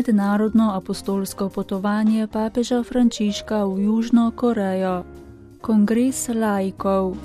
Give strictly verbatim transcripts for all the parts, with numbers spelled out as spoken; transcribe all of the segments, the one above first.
mednarodno apostolsko potovanje papeža Frančiška v Južno Korejo. Kongres laikov.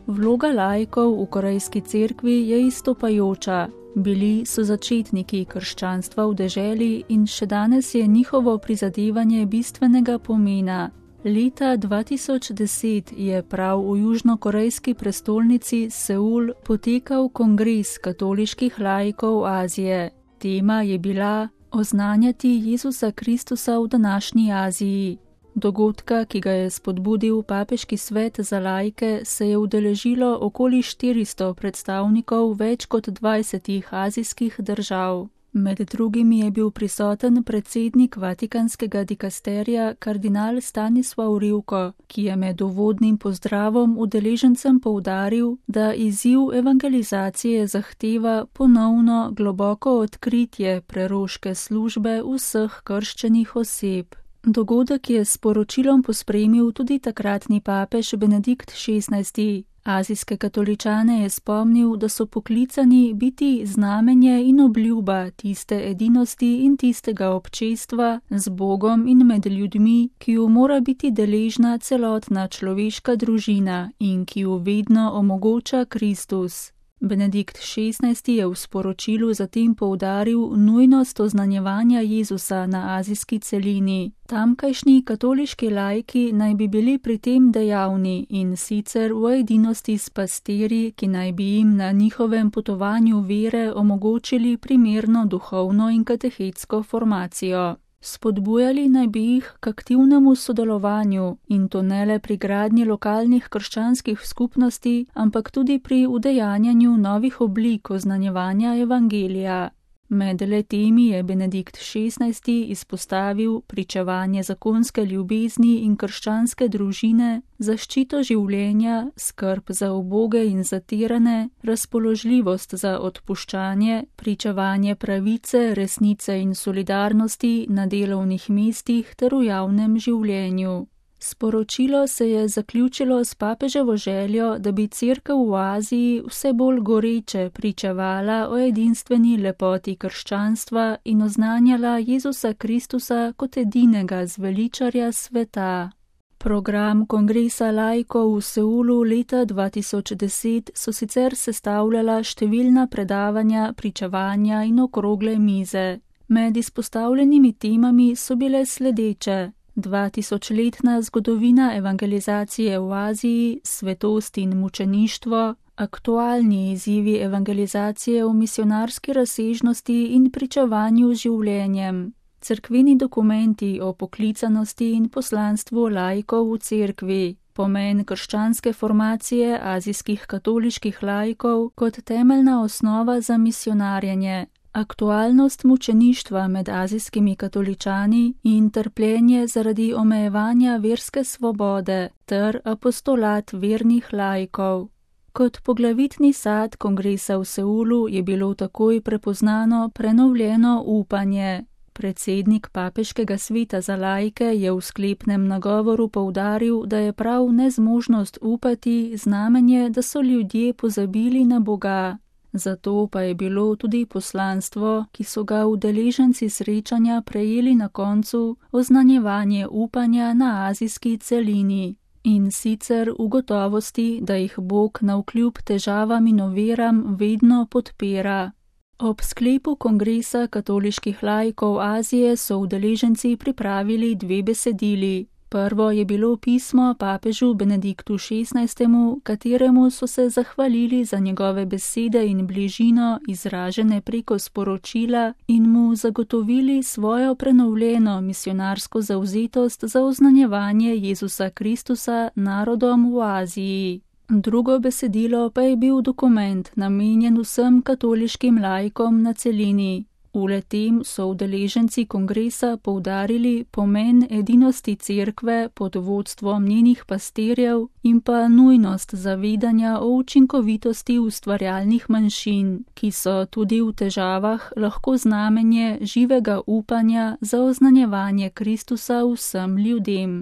Vloga laikov v korejski cerkvi je izstopajoča. Bili so začetniki krščanstva v deželi in še danes je njihovo prizadevanje bistvenega pomena. Leta dva tisoč deset je prav v južnokorejski prestolnici Seul potekal kongres katoliških laikov Azije. Tema je bila oznanjati Jezusa Kristusa v današnji Aziji. Dogodka, ki ga je spodbudil papeški svet za laike, se je udeležilo okoli štiristo predstavnikov več kot dvajsetih azijskih držav. Med drugimi je bil prisoten predsednik Vatikanskega dikasterija kardinal Stanislav Rivko, ki je med uvodnim pozdravom udeležencem poudaril, da izziv evangelizacije zahteva ponovno globoko odkritje preroške službe vseh krščenih oseb. Dogodek je s poročilom pospremil tudi takratni papež Benedikt šestnajsti. Azijske katoličane je spomnil, da so poklicani biti znamenje in obljuba tiste edinosti in tistega občestva z Bogom in med ljudmi, ki ju mora biti deležna celotna človeška družina in ki ju vedno omogoča Kristus. Benedikt šestnajsti je v sporočilu zatem poudaril nujnost oznanjevanja Jezusa na azijski celini. Tamkajšnji katoliški laiki naj bi bili pri tem dejavni in sicer v edinosti s pastirji, ki naj bi jim na njihovem potovanju vere omogočili primerno duhovno in katehetsko formacijo. Spodbujali naj bi jih k aktivnemu sodelovanju in to ne le pri gradnji lokalnih krščanskih skupnosti, ampak tudi pri udejanjanju novih oblik oznanjevanja evangelija. Med letemi je Benedikt šestnajsti izpostavil pričevanje zakonske ljubezni in krščanske družine, zaščito življenja, skrb za uboge in zatirane, razpoložljivost za odpuščanje, pričevanje pravice, resnice in solidarnosti na delovnih mestih ter v javnem življenju. Sporočilo se je zaključilo s papeževo željo, da bi cerkev v Aziji vse bolj goreče pričevala o edinstveni lepoti krščanstva in oznanjala Jezusa Kristusa kot edinega zveličarja sveta. Program kongresa laikov v Seulu leta dva tisoč deset so sicer sestavljala številna predavanja, pričevanja in okrogle mize. Med izpostavljenimi temami so bile sledeče: dvatisočletna zgodovina evangelizacije v Aziji, svetost in mučeništvo, aktualni izzivi evangelizacije v misionarski razsežnosti in pričevanju z življenjem, cerkveni dokumenti o poklicanosti in poslanstvu laikov v cerkvi, pomen krščanske formacije azijskih katoliških laikov kot temeljna osnova za misionarjenje, aktualnost mučeništva med azijskimi katoličani in trpljenje zaradi omejevanja verske svobode ter apostolat vernih laikov. Kot poglavitni sad kongresa v Seulu je bilo takoj prepoznano prenovljeno upanje. Predsednik papeškega sveta za laike je v sklepnem nagovoru poudaril, da je prav nezmožnost upati znamenje, da so ljudje pozabili na Boga. Zato pa je bilo tudi poslanstvo, ki so ga udeleženci srečanja prejeli na koncu, oznanjevanje upanja na azijski celini. In sicer v gotovosti, da jih Bog navkljub težavam in oviram vedno podpira. Ob sklepu kongresa katoliških laikov Azije so udeleženci pripravili dve besedili. Prvo je bilo pismo papežu Benediktu šestnajstemu, kateremu so se zahvalili za njegove besede in bližino, izražene preko sporočila, in mu zagotovili svojo prenovljeno misionarsko zavzetost za oznanjevanje Jezusa Kristusa narodom v Aziji. Drugo besedilo pa je bil dokument, namenjen vsem katoliškim laikom na celini. V le-tem so udeleženci kongresa poudarili pomen edinosti cerkve pod vodstvom njenih pastirjev in pa nujnost zavedanja o učinkovitosti ustvarjalnih manjšin, ki so tudi v težavah lahko znamenje živega upanja za oznanjevanje Kristusa vsem ljudem.